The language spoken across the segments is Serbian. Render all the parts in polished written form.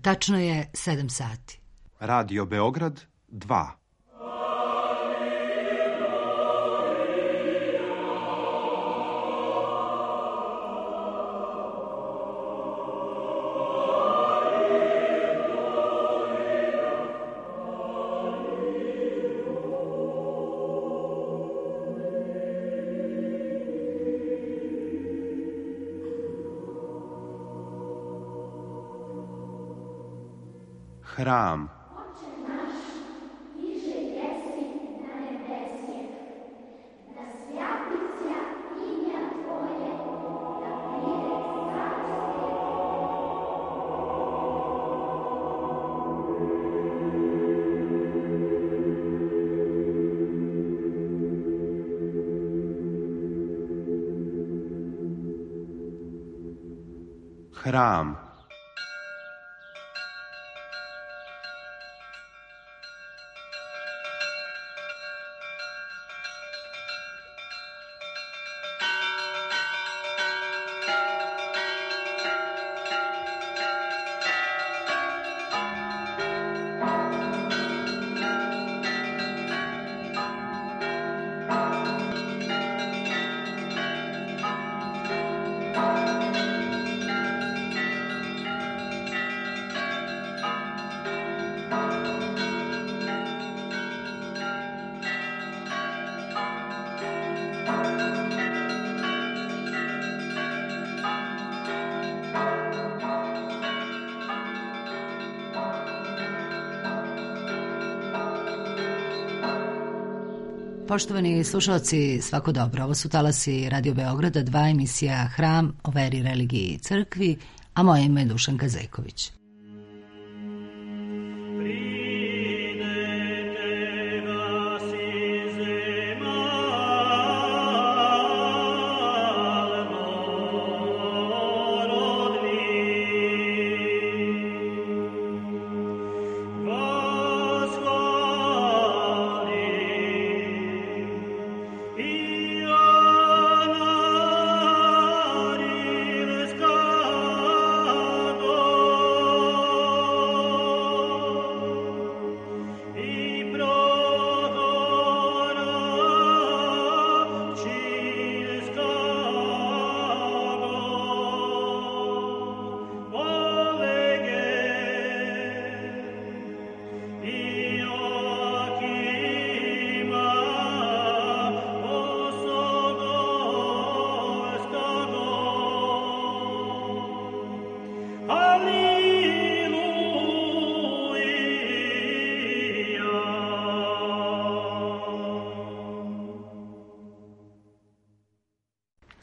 Tačno je 7 sati. Radio Beograd 2. Hram. Hram. Poštovani slušalci, svako dobro. Ovo su talasi Radio Beograda 2, emisija Hram o veri, religiji i crkvi, a moje ime je Dušanka Zeković.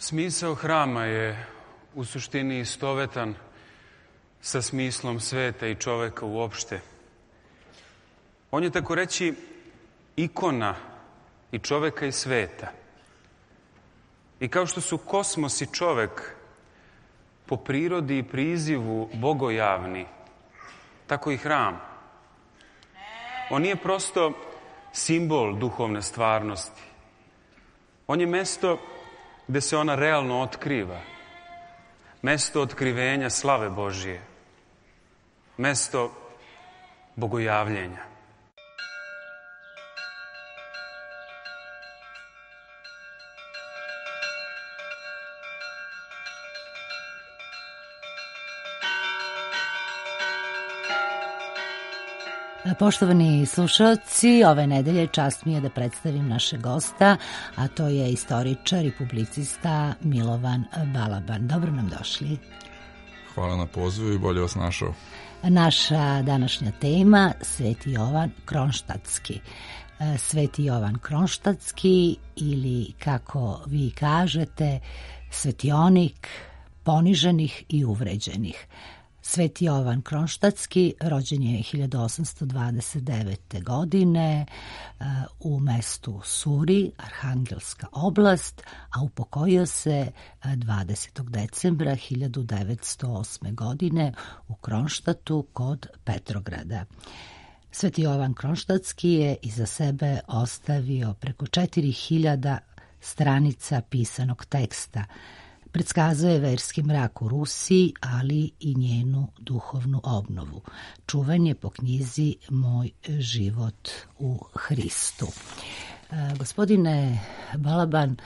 Smisao hrama je u suštini istovetan sa smislom sveta i čoveka uopšte. On je, tako reći, ikona i čoveka i sveta. I kao što su kosmos i čovek po prirodi i prizivu bogojavni, tako i hram. On nije prosto simbol duhovne stvarnosti. On je mesto gde se ona realno otkriva. Mesto otkrivenja slave Božije. Mesto bogojavljenja. Poštovani slušalci, ove nedelje čast mi je da predstavim našeg gosta, a to je istoričar i publicista Milovan Balaban. Dobro nam došli. Hvala na pozivu i bolje vas našao. Naša današnja tema, Sveti Jovan Kronštatski. Sveti Jovan Kronštatski, ili kako vi kažete, svetionik poniženih i uvređenih. Sveti Jovan Kronštatski rođen je 1829. godine u mestu Suri, Arhangelska oblast, a upokojio se 20. decembra 1908. godine u Kronštatu kod Petrograda. Sveti Jovan Kronštatski je iza sebe ostavio preko 4000 stranica pisanog teksta. predskazuje verski mrak u Rusiji, ali i njenu duhovnu obnovu. Čuvan je po knjizi Moj život u Hristu. Gospodine Balaban,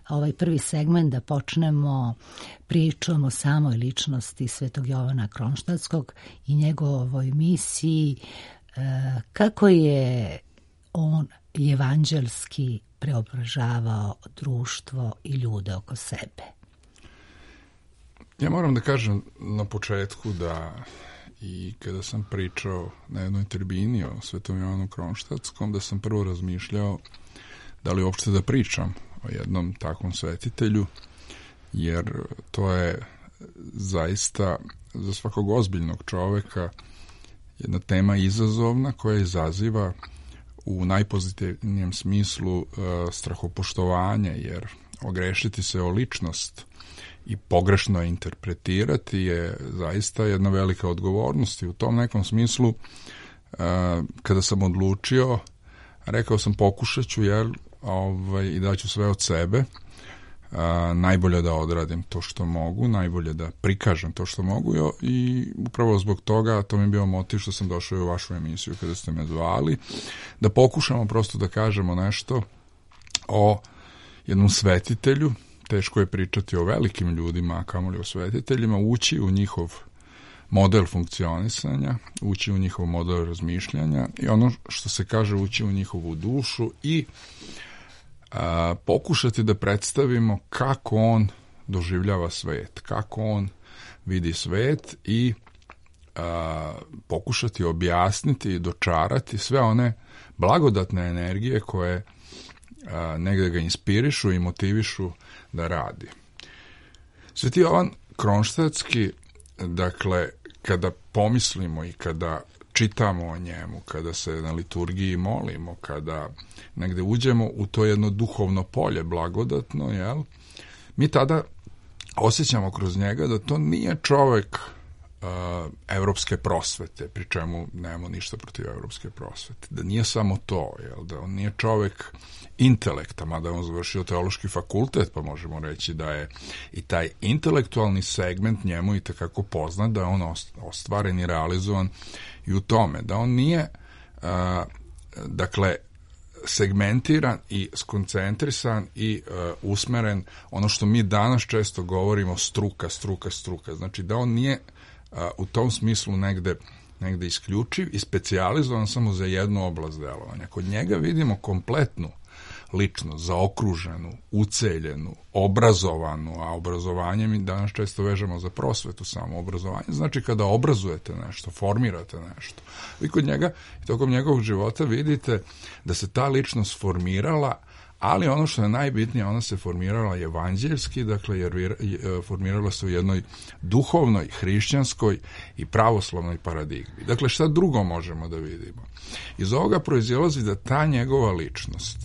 ovaj prvi segment da počnemo pričom o samoj ličnosti Svetog Jovana Kronštatskog i njegovoj misiji, kako je on evanđelski preobražavao društvo i ljude oko sebe. Ja moram da kažem na početku da i kada sam pričao na jednoj tribini o Svetom Jovanu Kronštatskom, da sam prvo razmišljao da li uopšte da pričam o jednom takvom svetitelju, jer to je zaista za svakog ozbiljnog čoveka jedna tema izazovna koja izaziva u najpozitivnijem smislu strahopoštovanje, jer ogrešiti se o ličnost i pogrešno interpretirati je zaista jedna velika odgovornost. I u tom nekom smislu, kada sam odlučio, rekao sam pokušat ću i daću sve od sebe, najbolje da odradim to što mogu, najbolje da prikažem to što mogu i upravo zbog toga to mi je bio motiv što sam došao u vašu emisiju kada ste me zvali, da pokušamo prosto da kažemo nešto o jednom svetitelju. Teško je pričati o velikim ljudima, a kamoli o svetiteljima, ući u njihov model funkcionisanja, ući u njihov model razmišljanja i ono što se kaže ući u njihovu dušu i pokušati da predstavimo kako on doživljava svet, kako on vidi svet i pokušati objasniti i dočarati sve one blagodatne energije koje negde ga inspirišu i motivišu da radi. Sveti Jovan Kronštatski, dakle, kada pomislimo i kada čitamo o njemu, kada se na liturgiji molimo, kada negde uđemo u to jedno duhovno polje blagodatno, mi tada osjećamo kroz njega da to nije čovek evropske prosvete, pri čemu nemamo ništa protiv evropske prosvete, da nije samo to, da on nije čovek intelekta, mada je on završio teološki fakultet, pa možemo reći da je i taj intelektualni segment njemu i takako poznat, da je on ostvaren i realizovan i u tome, da on nije dakle segmentiran i skoncentrisan i usmeren, ono što mi danas često govorimo struka, znači da on nije u tom smislu negde isključiv i specijalizovan samo za jednu oblast delovanja. Kod njega vidimo kompletnu ličnost, zaokruženu, uceljenu, obrazovanu, a obrazovanje mi danas često vežemo za prosvetu samo obrazovanje. Znači kada obrazujete nešto, formirate nešto. Vi kod njega i tokom njegovog života vidite da se ta ličnost formirala, ali ono što je najbitnije, ona se formirala evanđeljski, dakle, jer formirala se u jednoj duhovnoj, hrišćanskoj i pravoslavnoj paradigmi. Dakle, šta drugo možemo da vidimo? Iz ovoga proizilazi da ta njegova ličnost,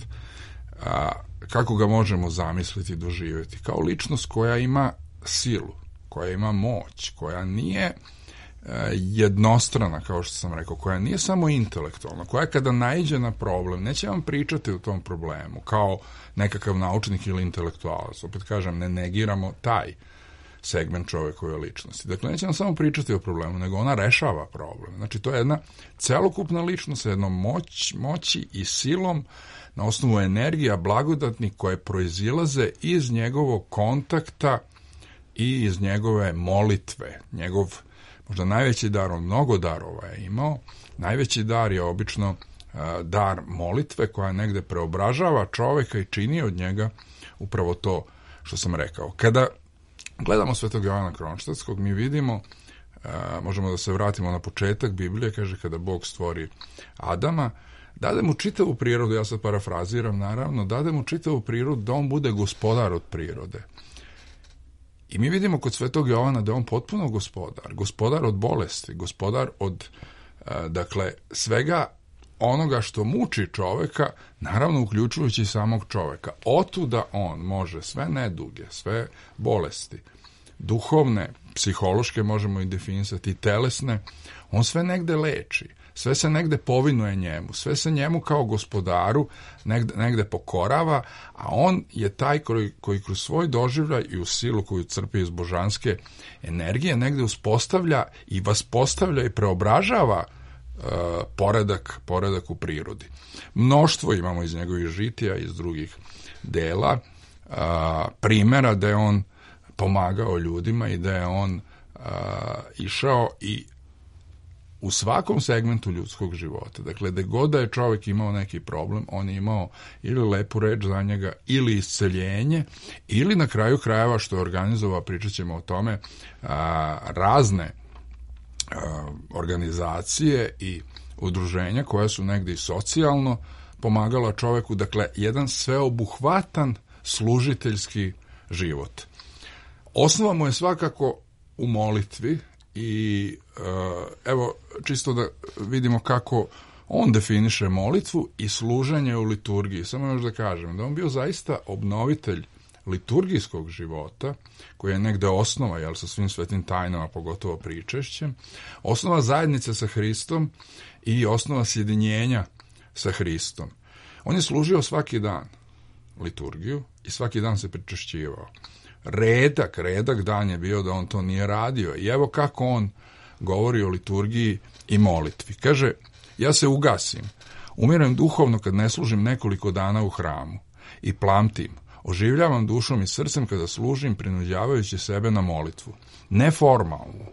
kako ga možemo zamisliti i doživjeti, kao ličnost koja ima silu, koja ima moć, koja nije jednostrana, kao što sam rekao, koja nije samo intelektualna, koja kada naiđe na problem, neće vam pričati o tom problemu kao nekakav naučnik ili intelektualac. Opet kažem, ne negiramo taj segment čovekove ličnosti. Dakle, neće vam samo pričati o problemu, nego ona rešava problem. Znači, to je jedna celokupna ličnost sa jednom moći i silom na osnovu energija blagodatnih koje proizilaze iz njegovog kontakta i iz njegove molitve. Njegov možda najveći dar, on mnogo darova je imao, najveći dar je obično dar molitve koja negde preobražava čoveka i čini od njega upravo to što sam rekao. Kada gledamo Svetog Jovana Kronštatskog, mi vidimo, možemo da se vratimo na početak Biblije, kaže kada Bog stvori Adama, dade mu čitavu prirodu, ja sad parafraziram naravno, dade mu čitavu prirodu da on bude gospodar od prirode. I mi vidimo kod Svetog Jovana da je on potpuno gospodar od bolesti, gospodar od, dakle, svega onoga što muči čoveka, naravno uključujući i samog čoveka. Otuda on može sve neduge, sve bolesti, duhovne, psihološke možemo i definisati, telesne, on sve negde leči. sve se negde povinuje njemu, sve se njemu kao gospodaru negde pokorava, a on je taj koji kroz svoj doživljaj i u silu koju crpi iz božanske energije negde uspostavlja i vaspostavlja i preobražava poredak u prirodi. Mnoštvo imamo iz njegovih žitija, iz drugih dela, primjera da je on pomagao ljudima i da je on išao i u svakom segmentu ljudskog života. Dakle, da god da je čovjek imao neki problem, on je imao ili lepu reč za njega, ili isceljenje, ili na kraju krajeva, što je organizovao, pričat ćemo o tome, razne organizacije i udruženja koja su negdje i socijalno pomagala čovjeku, dakle, jedan sveobuhvatan služiteljski život. Osnova mu je svakako u molitvi i evo, čisto da vidimo kako on definiše molitvu i služenje u liturgiji. Samo još da kažem da on bio zaista obnovitelj liturgijskog života, koji je negde osnova, jel, sa svim svetim tajnama, pogotovo pričešćem, osnova zajednice sa Hristom i osnova sjedinjenja sa Hristom. On je služio svaki dan liturgiju i svaki dan se pričešćivao. Redak dan je bio da on to nije radio. I evo kako on govori o liturgiji i molitvi. Kaže, ja se ugasim, umirem duhovno kad ne služim nekoliko dana u hramu i plamtim, oživljavam dušom i srcem kada služim, prinuđavajući sebe na molitvu. Ne formalnu,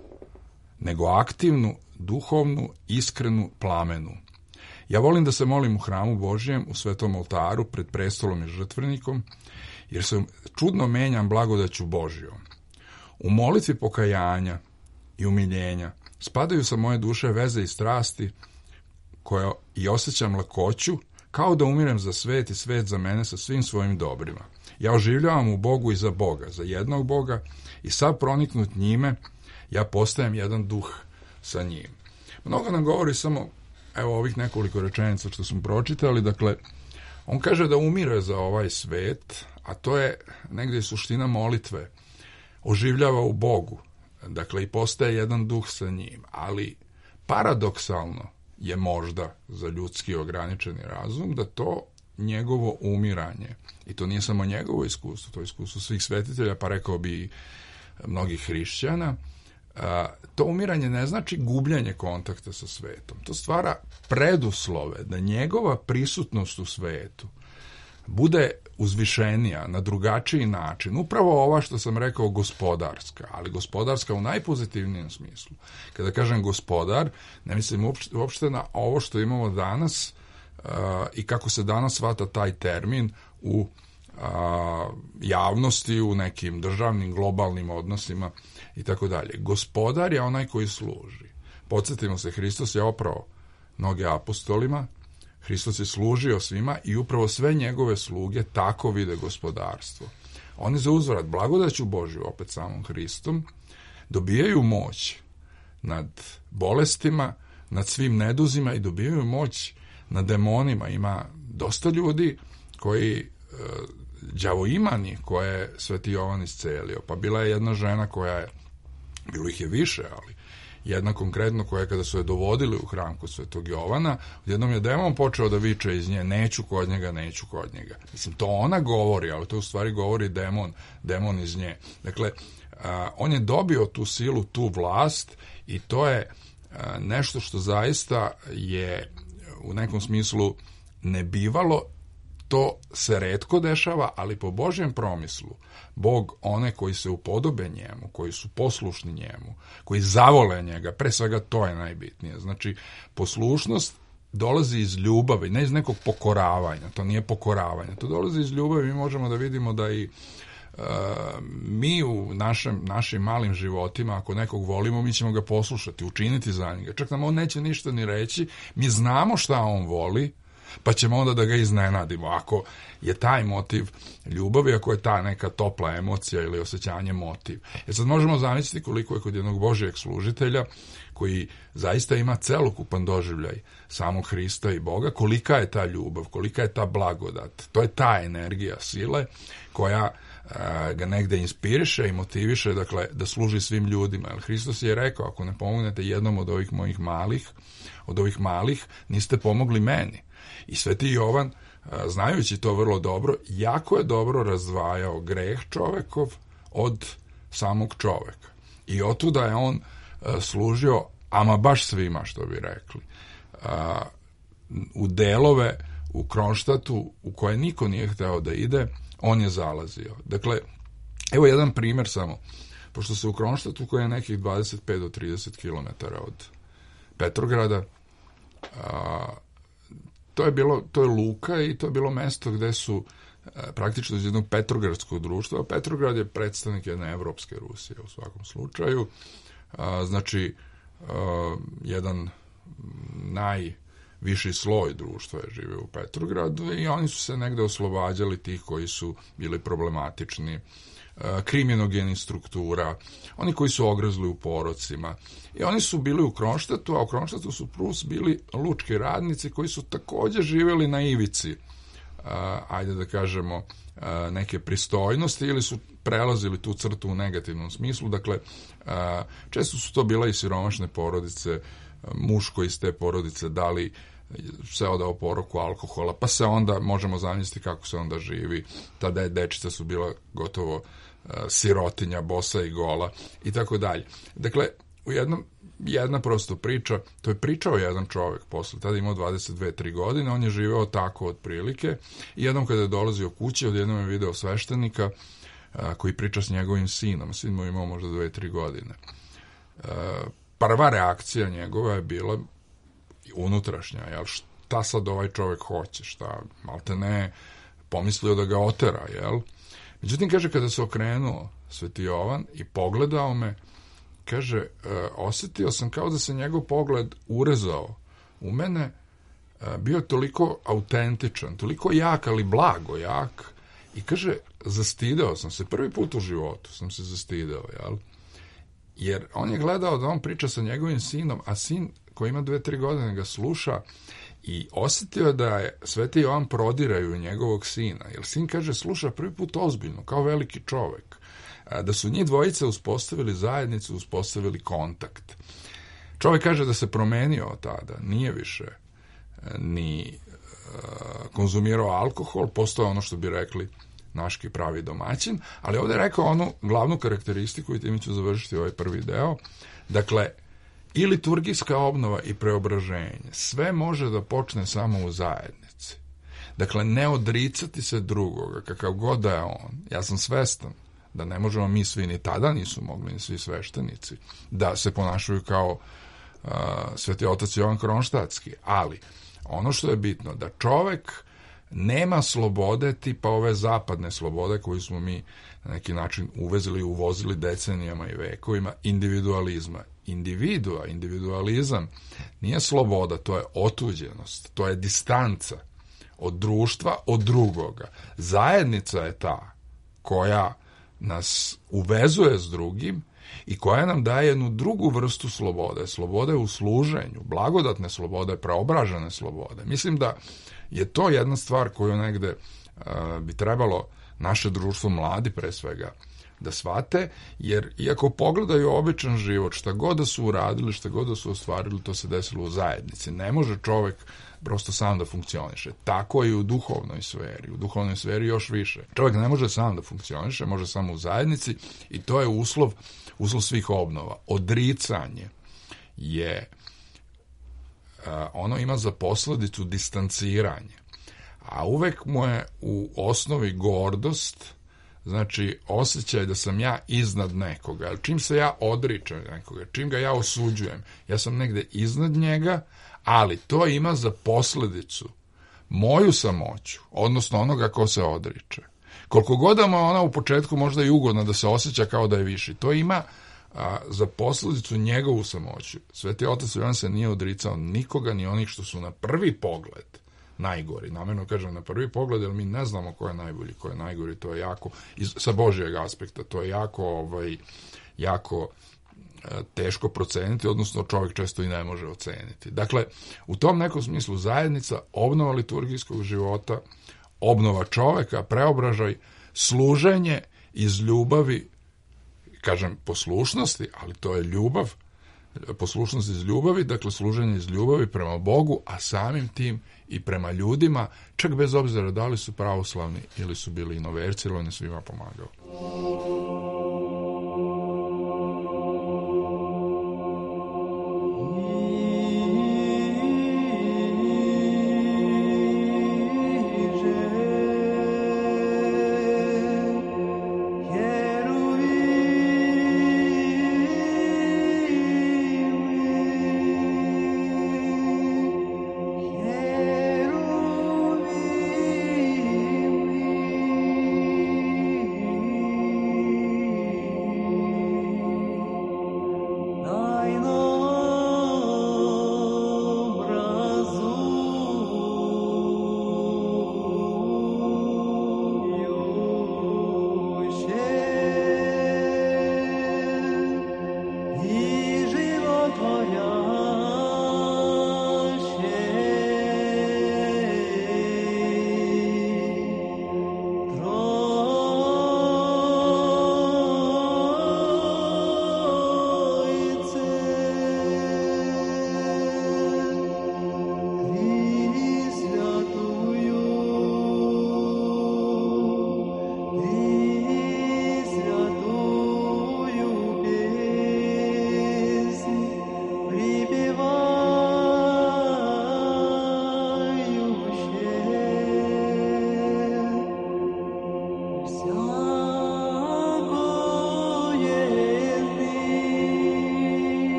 nego aktivnu, duhovnu, iskrenu, plamenu. Ja volim da se molim u hramu Božjem, u svetom oltaru, pred prestolom i žrtvenikom, jer se čudno menjam blagodaću Božjom. U molitvi pokajanja i umiljenja spadaju sa moje duše veze i strasti koje i osjećam lakoću, kao da umirem za svet i svet za mene sa svim svojim dobrima. Ja oživljavam u Bogu i za Boga, za jednog Boga, i sav proniknut njime, ja postajem jedan duh sa njim. Mnogo nam govori samo, evo, ovih nekoliko rečenica što smo pročitali, dakle, on kaže da umire za ovaj svet, a to je negdje suština molitve. Oživljava u Bogu, dakle, i postaje jedan duh sa njim, ali paradoksalno je možda za ljudski ograničeni razum da to njegovo umiranje, i to nije samo njegovo iskustvo, to je iskustvo svih svetitelja, pa rekao bi i mnogih hrišćana, to umiranje ne znači gubljenje kontakta sa svetom. To stvara preduslove da njegova prisutnost u svetu bude uzvišenija, na drugačiji način. Upravo ova što sam rekao gospodarska, ali gospodarska u najpozitivnijem smislu. Kada kažem gospodar, ne mislim uopšte na ovo što imamo danas i kako se danas shvata taj termin u javnosti, u nekim državnim, globalnim odnosima i tako dalje. Gospodar je onaj koji služi. Podsjetimo se, Hristos je oprao noge apostolima, Hristos je služio svima i upravo sve njegove sluge tako vide gospodarstvo. Oni za uzvrat blagodaću Božju, opet samom Hristom, dobijaju moć nad bolestima, nad svim neduzima i dobijaju moć nad demonima. Ima dosta ljudi koji đavoimani koje je Sveti Jovan iscelio. Pa bila je jedna žena koja je, bilo ih je više, ali jedna konkretno koja, kada su je dovodili u hram kod Svetog Jovana, odjednom je demon počeo da viče iz nje, neću kod njega, neću kod njega. Mislim, to ona govori, ali to u stvari govori demon iz nje. Dakle, on je dobio tu silu, tu vlast, i to je nešto što zaista je u nekom smislu nebivalo. To se retko dešava, ali po Božjem promislu, Bog one koji se upodobe njemu, koji su poslušni njemu, koji zavole njega, pre svega to je najbitnije. Znači, poslušnost dolazi iz ljubavi, ne iz nekog pokoravanja, to nije pokoravanje, to dolazi iz ljubavi. Mi možemo da vidimo da i mi u našim malim životima, ako nekog volimo, mi ćemo ga poslušati, učiniti za njega. Čak nam on neće ništa ni reći, mi znamo šta on voli, pa ćemo onda da ga iznenadimo. Ako je taj motiv ljubavi, ako je ta neka topla emocija ili osjećanje motiv. Jer sad možemo zamisliti koliko je kod jednog Božjeg služitelja, koji zaista ima celokupan doživljaj samog Hrista i Boga, kolika je ta ljubav, kolika je ta blagodat. To je ta energija sile koja ga negde inspiriše i motiviše, dakle, da služi svim ljudima. Jer Hristos je rekao, ako ne pomognete jednom od ovih mojih malih, niste pomogli meni. I Sveti Jovan, znajući to vrlo dobro, jako je dobro razdvajao greh čovekov od samog čoveka. I otuda je on služio, ama baš svima, što bi rekli, u delove u Kronštatu u koje niko nije hteo da ide, on je zalazio. Dakle, evo jedan primjer samo, pošto se u Kronštatu, koji je nekih 25 do 30 km od Petrograda, to je luka i to je bilo mesto gde su praktično iz jednog petrogradskog društva, a Petrograd je predstavnik jedne evropske Rusije u svakom slučaju, znači jedan najviši sloj društva je živio u Petrogradu i oni su se negde oslobađali tih koji su bili problematični, kriminogenih struktura, oni koji su ogrezli u porocima. I oni su bili u Kronštatu, a u Kronštatu su plus bili lučki radnici koji su takođe živjeli na ivici, ajde da kažemo, neke pristojnosti ili su prelazili tu crtu u negativnom smislu. Dakle, često su to bila i siromašne porodice, muško iz te porodice dali se odao poroku alkohola, pa se onda, možemo zamisliti kako se onda živi. Tada je dečica su bila gotovo sirotinja, bosa i gola i tako dalje. Dakle, jedna prosto priča, to je pričao jedan čovjek posle, tada imao 22-3 godine, on je živeo tako otprilike i jednom kada je dolazio kući, odjednom je video sveštenika koji priča s njegovim sinom, sin mu imao možda 2-3 godine. Prva reakcija njegova je bila unutrašnja, jel, šta sad ovaj čovjek hoće, šta, malte ne, pomislio da ga otera, jel? Međutim, kaže, kada se okrenuo Sveti Jovan i pogledao me, kaže, osjetio sam kao da se njegov pogled urezao u mene, bio toliko autentičan, toliko jak, ali blago jak, i kaže, zastideo sam se, prvi put u životu sam se zastideo, jel? Jer on je gledao da on priča sa njegovim sinom, a sin koji ima 2-3 godine ga sluša i osjetio da je Sveti Jovan prodiraju njegovog sina. Jer sin, kaže, sluša prvi put ozbiljno, kao veliki čovek. Da su njih dvojice uspostavili zajednicu, uspostavili kontakt. Čovek kaže da se promenio od tada, nije više ni konzumirao alkohol, postao ono što bi rekli naški pravi domaćin, ali ovdje je rekao onu glavnu karakteristiku i time ću završiti ovaj prvi deo. Dakle, i liturgijska obnova i preobraženje, sve može da počne samo u zajednici. Dakle, ne odricati se drugoga, kakav god da je on. Ja sam svestan da ne možemo mi svi, ni tada nisu mogli, ni svi sveštenici, da se ponašaju kao Sveti otac Jovan Kronštatski, ali ono što je bitno, da čovek nema slobode tipa ove zapadne slobode koju smo mi na neki način uvezili i uvozili decenijama i vekovima, individualizma. Individualizam nije sloboda, to je otuđenost, to je distanca od društva, od drugoga. Zajednica je ta koja nas uvezuje s drugim i koja nam daje jednu drugu vrstu slobode. Slobode u služenju, blagodatne slobode, preobražene slobode. Mislim da je to jedna stvar koju negde bi trebalo naše društvo, mladi pre svega, da shvate, jer iako pogledaju običan život, šta god da su uradili, šta god da su ostvarili, to se desilo u zajednici. Ne može čovek prosto sam da funkcioniše. Tako je i u duhovnoj sferi. U duhovnoj sferi još više. Čovjek ne može sam da funkcioniše, može samo u zajednici i to je uslov svih obnova. Odricanje je, ono ima za posledicu distanciranje. A uvek mu je u osnovi gordost, znači osjećaj da sam ja iznad nekoga. Ali čim se ja odričem nekoga, čim ga ja osuđujem, ja sam negde iznad njega, ali to ima za posledicu moju samoću, odnosno onoga ko se odriče. Koliko god da mu ona u početku možda i ugodna da se osjeća kao da je viši, to ima za posledicu njegovu samoću. Sveti otac Jovan se nije odricao nikoga, ni onih što su na prvi pogled najgori. Namjerno kažem na prvi pogled, jer mi ne znamo ko je najbolji, ko je najgori, to je jako, sa Božijeg aspekta, to je jako teško proceniti, odnosno čovjek često i ne može oceniti. Dakle, u tom nekom smislu zajednica, obnova liturgijskog života, obnova čoveka, preobražaj, služenje iz ljubavi, kažem poslušnosti, ali to je ljubav, poslušnost iz ljubavi, dakle služenje iz ljubavi prema Bogu, a samim tim i prema ljudima, čak bez obzira da li su pravoslavni ili su bili inoverci, ili on je svima pomagao.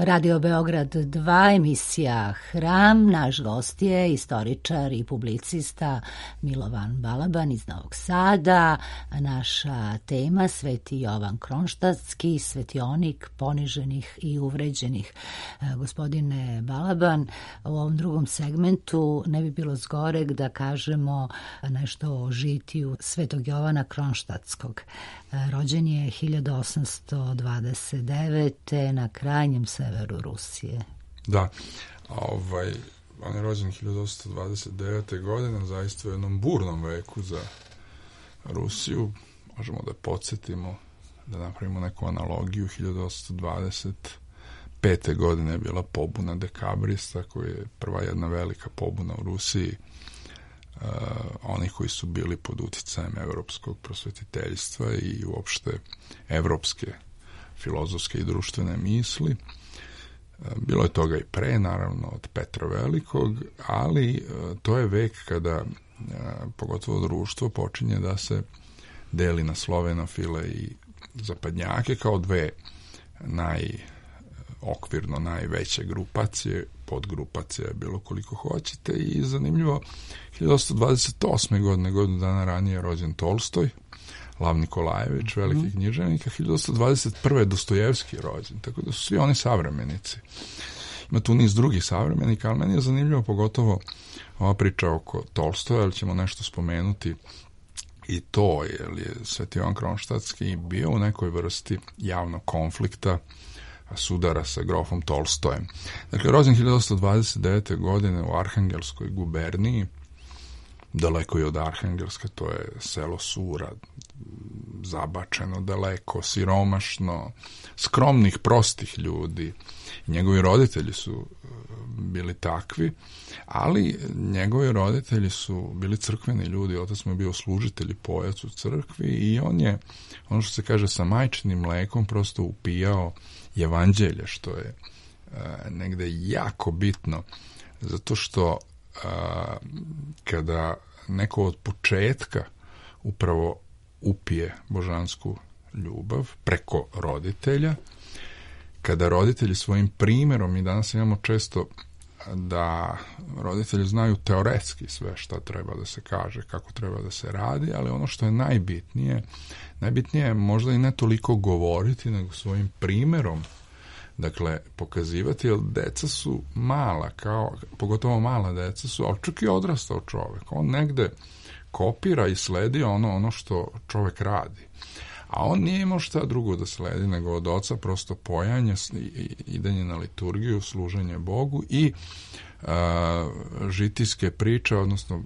Radio Beograd 2, emisija Hram. Naš gost je istoričar i publicista Milovan Balaban iz Novog Sada. Naša tema Sveti Jovan Kronštatski, svetionik poniženih i uvređenih. Gospodine Balaban, u ovom drugom segmentu ne bi bilo zgoreg da kažemo nešto o žitiju Svetog Jovana Kronštatskog. Rođen je 1829. na krajnjem severu Rusije. Da, on je rođen 1829. godine, zaista u jednom burnom veku za Rusiju. Možemo da podsjetimo, da napravimo neku analogiju. 1825. godine je bila pobuna dekabrista, koja je prva jedna velika pobuna u Rusiji. Oni koji su bili pod uticajem evropskog prosvetiteljstva i uopšte evropske filozofske i društvene misli. Bilo je toga i pre, naravno, od Petra Velikog, ali to je vek kada pogotovo društvo počinje da se deli na slovenofile i zapadnjake kao dve okvirno najveće grupacije, podgrupacija je bilo koliko hoćete, i zanimljivo, 1828. godine, godinu dana ranije, je rođen Tolstoj, Lav Nikolajević, veliki književnik, 1821. je Dostojevski rođen, tako da su svi oni savremenici. Ima tu niz drugih savremenika, ali meni je zanimljivo pogotovo ova priča oko Tolstoja, ali ćemo nešto spomenuti i to, jer je Sveti Jovan Kronštatski bio u nekoj vrsti javnog konflikta, sudara sa grofom Tolstojem. Dakle, rođen 1829. godine u Arhangelskoj guberniji, daleko je od Arhangelska, to je selo Sura, zabačeno daleko, siromašno, skromnih, prostih ljudi. Njegovi roditelji su bili takvi, ali njegovi roditelji su bili crkveni ljudi, otac mu je bio služitelj i pojac u crkvi i on je, ono što se kaže, sa majčinim mlekom prosto upijao evanđelje, što je negde jako bitno, zato što kada neko od početka upravo upije božansku ljubav preko roditelja, kada roditelji svojim primjerom, i danas imamo često da roditelji znaju teoretski sve šta treba da se kaže, kako treba da se radi, ali ono što je najbitnije je možda i ne toliko govoriti, nego svojim primjerom, dakle, pokazivati, jer deca su mala, pogotovo mala deca su, ali čak i odrastao čovek. On negde kopira i sledi ono što čovek radi. A on nije imao šta drugo da sledi nego od oca prosto pojanje, idenje na liturgiju, služenje Bogu i žitijske priče, odnosno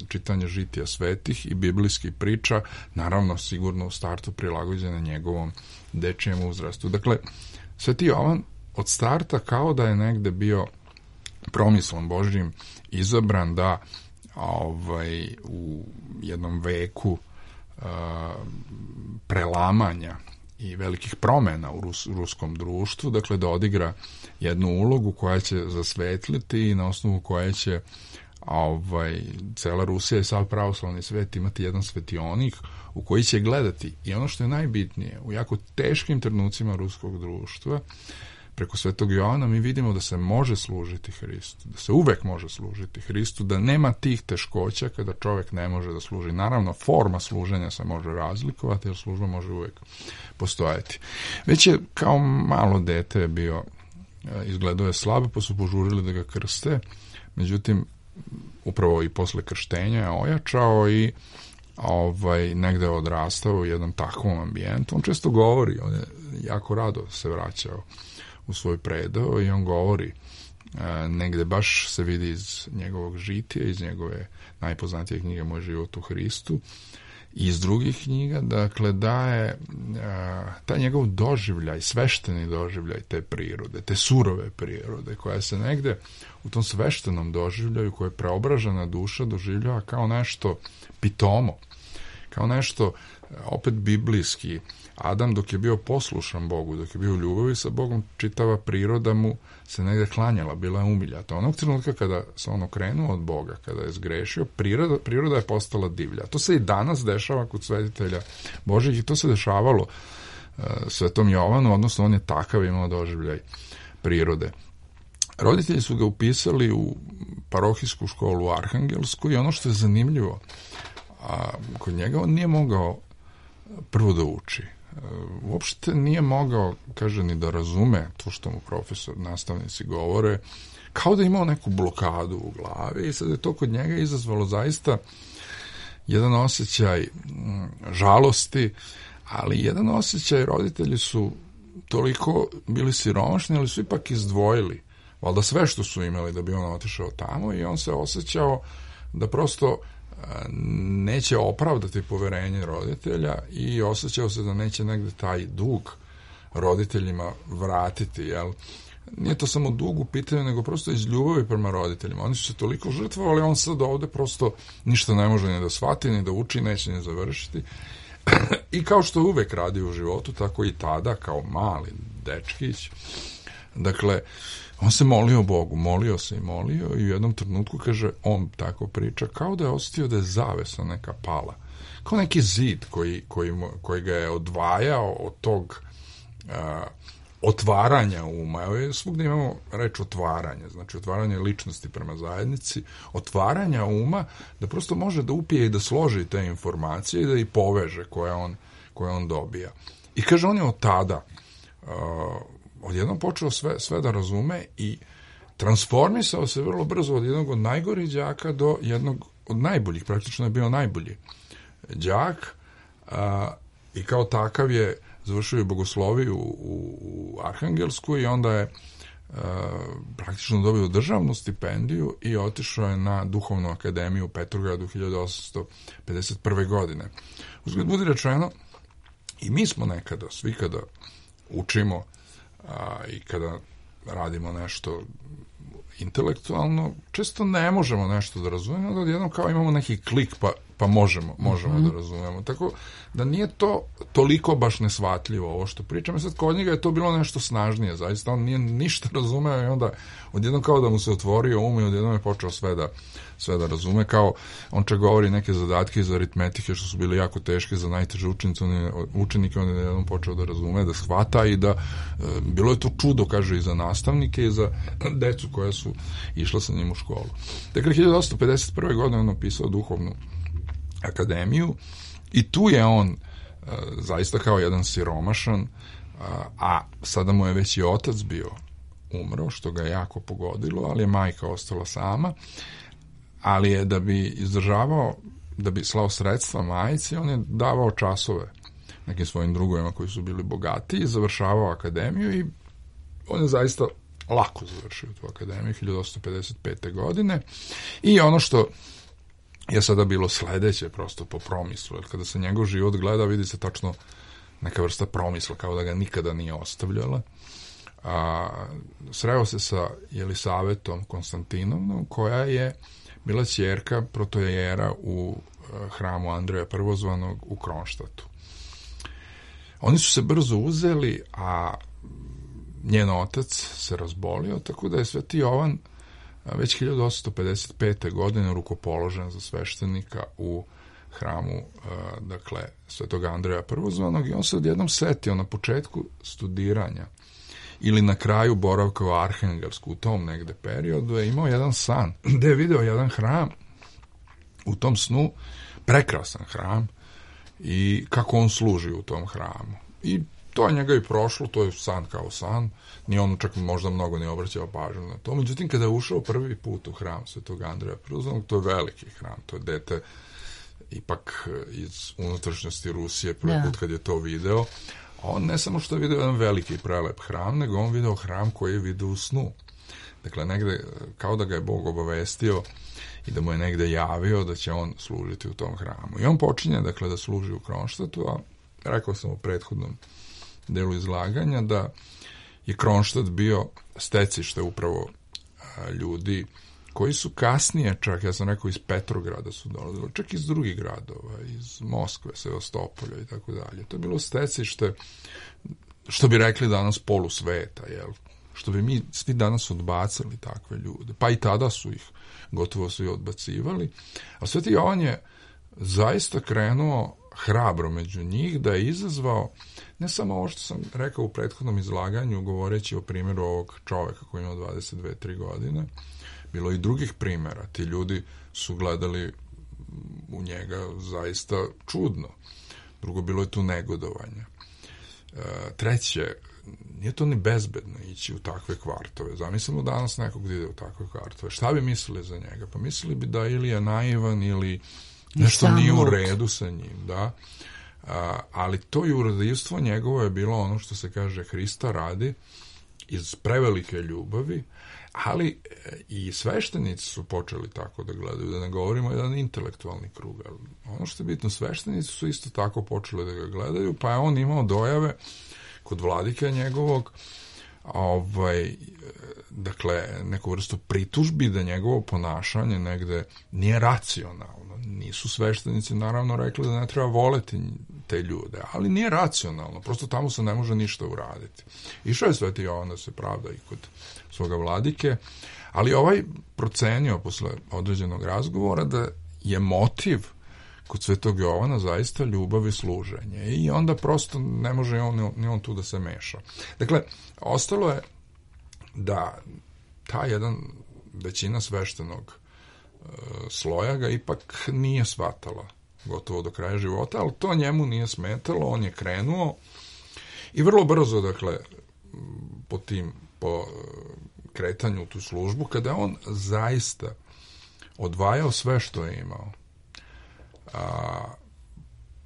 čitanje žitija svetih i biblijskih priča, naravno sigurno u startu prilagođene njegovom dečijem uzrastu. Dakle, Sveti Jovan od starta kao da je negde bio promislom Božjim izabran da u jednom veku prelamanja i velikih promena u ruskom društvu, dakle da odigra jednu ulogu koja će zasvetliti i na osnovu koje će cela Rusija i sav pravoslavni svet imati jedan svetionik u koji će gledati. I ono što je najbitnije, u jako teškim trenucima ruskog društva, preko Svetog Jovana mi vidimo da se može služiti Hristu, da se uvek može služiti Hristu, da nema tih teškoća kada čovjek ne može da služi. Naravno, forma služenja se može razlikovati, jer služba može uvek postojati. Već je kao malo dete bio, izgledao je slabo, pa su požurili da ga krste, međutim, upravo i posle krštenja je ojačao i negde je odrastao u jednom takvom ambijentu. On često govori, on je jako rado se vraćao u svoj predao i on govori, negde baš se vidi iz njegovog žitija, iz njegove najpoznatije knjige Moj život u Hristu i iz drugih knjiga, dakle da je taj njegov doživljaj, svešteni doživljaj te prirode, te surove prirode, koja se negde u tom sveštenom doživljaju, koje je preobražena duša doživljava kao nešto pitomo, kao nešto opet biblijski. Adam dok je bio poslušan Bogu, dok je bio u ljubavi sa Bogom, čitava priroda mu se negde klanjala, bila je umiljata. Onog trenutka kada se on okrenuo od Boga, kada je zgrešio, priroda je postala divlja. To se i danas dešava kod svetitelja Božih i to se dešavalo Svetom Jovanu, odnosno on je takav imao doživljaj prirode. Roditelji su ga upisali u parohijsku školu u Arhangelsku i ono što je zanimljivo, kod njega on nije mogao prvo da uči. Uopšte nije mogao, kaže, ni da razume to što mu profesor, nastavnici govore, kao da imao neku blokadu u glavi i sad je to kod njega izazvalo zaista jedan osjećaj žalosti, ali jedan osjećaj, roditelji su toliko bili siromašni, ali su ipak izdvojili valjda sve što su imali da bi on otišao tamo i on se osjećao da prosto neće opravdati poverenje roditelja i osjećao se da neće negde taj dug roditeljima vratiti, jel? Nije to samo dug u pitanju, nego prosto iz ljubavi prema roditeljima. Oni su se toliko žrtvovali, on sad ovde prosto ništa ne može ni da shvati, ni da uči, neće ni završiti. I kao što uvek radi u životu, tako i tada, kao mali dečkić. Dakle, on se molio Bogu, molio se i molio i u jednom trenutku, kaže, on tako priča, kao da je osjetio da je zavesa neka pala. Kao neki zid koji ga je odvajao od tog otvaranja uma. Svugde imamo reč otvaranje, znači otvaranje ličnosti prema zajednici, otvaranja uma, da prosto može da upije i da složi te informacije i da ih poveže koje on dobija. I kaže, on je od tada odjednom počeo sve da razume i transformisao se vrlo brzo od jednog od najgorih đaka do jednog od najboljih, praktično je bio najbolji đak i kao takav je završio i bogosloviju u Arhangelsku i onda je praktično dobio državnu stipendiju i otišao je na Duhovnu akademiju u Petrogradu 1851. godine. Uzgled budi rečeno, i mi smo nekada, svi kada učimo i kada radimo nešto intelektualno, često ne možemo nešto da razumemo, onda odjednom kao imamo neki klik pa možemo da razumemo. Tako da nije to toliko baš nesvatljivo ovo što pričam. Sad kod njega je to bilo nešto snažnije, zaista on nije ništa razumeo i onda odjednom kao da mu se otvorio um i odjednom je počeo sve da razume, kao on čak govori neke zadatke iz aritmetike što su bili jako teške za najteže učenike, on je jednom počeo da razume, da shvata i da bilo je to čudo, kaže, i za nastavnike i za decu koja su išla sa njim u školu. Dakle, 1851. godine on napisao Duhovnu akademiju i tu je on zaista kao jedan siromašan, a sada mu je već i otac bio umro, što ga je jako pogodilo, ali je majka ostala sama, ali je da bi izdržavao, da bi slao sredstva majci, on je davao časove nekim svojim drugovima koji su bili bogati i završavao akademiju i on je zaista lako završio tu akademiju 1855. godine i ono što je sada bilo sledeće prosto po promislu, jer kada se njegov život gleda vidi se tačno neka vrsta promisla kao da ga nikada nije ostavljala. Sreo se sa Jelisavetom Konstantinovnom koja je bila ćerka protojera u hramu Andreja Prvozvanog u Kronštatu. Oni su se brzo uzeli, a njen otac se razbolio, tako da je Sveti Jovan već 1855. godine rukopoložen za sveštenika u hramu, dakle, Svetog Andreja Prvozvanog i on se odjednom setio na početku studiranja ili na kraju boravka u Arhangelsku, u tom negde periodu je imao jedan san, gde je video jedan hram, u tom snu, prekrasan hram, i kako on služi u tom hramu. I to je njega i prošlo, to je san kao san, ni on čak možda mnogo ne obraćao pažnju na to. Međutim, kada je ušao prvi put u hram Svetog Andreja Prvozvanog, to je veliki hram, to je dete ipak iz unutrašnjosti Rusije, prvi put kad je to video, on ne samo što je video jedan veliki prelep hram, nego on video hram koji je video u snu. Dakle, negde, kao da ga je Bog obavestio i da mu je negde javio da će on služiti u tom hramu. I on počinje, dakle, da služi u Kronštatu, a rekao sam u prethodnom delu izlaganja da je Kronštat bio stecište upravo ljudi koji su kasnije, čak ja sam rekao iz Petrograda su dolazili, čak iz drugih gradova, iz Moskve, Sevastopolja i tako dalje. To je bilo stecište, što bi rekli danas, polusveta, jel? Što bi mi svi danas odbacali takve ljude. Pa i tada su ih gotovo svi odbacivali. A Sveti Jovan je zaista krenuo hrabro među njih, da je izazvao ne samo ovo što sam rekao u prethodnom izlaganju, govoreći o primjeru ovog čoveka koji ima 22-3 godine, bilo i drugih primjera. Ti ljudi su gledali u njega zaista čudno. Drugo, bilo je tu negodovanje. Treće, nije to ni bezbedno ići u takve kvartove. Zamislimo danas nekog da ide u takve kvartove. Šta bi mislili za njega? Pa mislili bi da ili je naivan ili nešto nije u redu sa njim, da. Ali to jurodivstvo njegovo je bilo ono što se kaže Hrista radi, iz prevelike ljubavi, ali i sveštenici su počeli tako da gledaju, da ne govorimo jedan intelektualni krug. Ono što je bitno, sveštenici su isto tako počeli da ga gledaju, pa je on imao dojave kod vladike njegovog, dakle, neku vrstu pritužbi da njegovo ponašanje negde nije racionalno. Nisu sveštenici naravno rekli da ne treba voleti te ljude, ali nije racionalno, prosto tamo se ne može ništa uraditi. Išao je Sveti Jovan da se pravda i kod svoga vladike, ali ovaj procenio posle određenog razgovora da je motiv kod Svetog Jovana zaista ljubav i služenje i onda prosto ne može ni on tu da se meša. Dakle, ostalo je da ta jedan većina sveštenog sloja ga ipak nije shvatala gotovo do kraja života, ali to njemu nije smetalo, on je krenuo i vrlo brzo, dakle, po kretanju u tu službu, kada on zaista odvajao sve što je imao.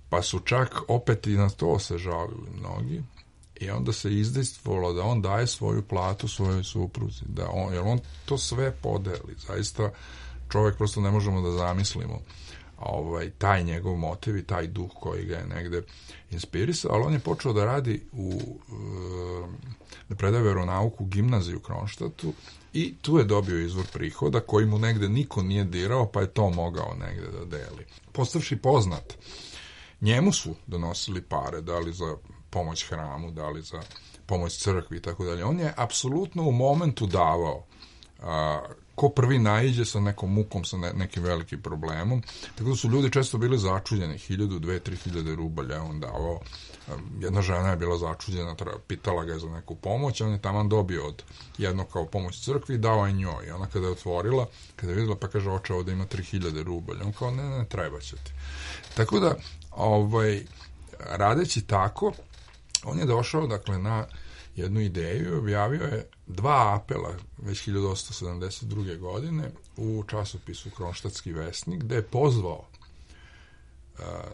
Pa su čak opet i na to se žalili mnogi i onda se izdejstvovalo da on daje svoju platu svojoj supruzi, jer on to sve podeli. Zaista čovjek prosto ne možemo da zamislimo taj njegov motiv i taj duh koji ga je negde inspirisao, ali on je počeo da radi da predaje veronauku u gimnaziju u Kronštatu i tu je dobio izvor prihoda koji mu negde niko nije dirao, pa je to mogao negde da deli. Postavši poznat, njemu su donosili pare, da li za pomoć hramu, da li za pomoć crkvi i tako dalje. On je apsolutno u momentu davao. Ko prvi naiđe sa nekom mukom, sa nekim velikim problemom. Tako da su ljudi često bili začuđeni. 1.000, 2.000, 3.000 rubalja on davao. Jedna žena je bila začuđena, pitala ga je za neku pomoć, on je taman dobio od jednog kao pomoć crkvi i dao je njoj. I ona kada je otvorila, kada je videla, pa kaže, oče, ovdje ima 3.000 rubalja. On kao, ne, treba će ti. Tako da, radeći tako, on je došao, dakle, na jednu ideju i objavio je 2 apela već 1872. godine u časopisu Kronštatski vesnik, gde je pozvao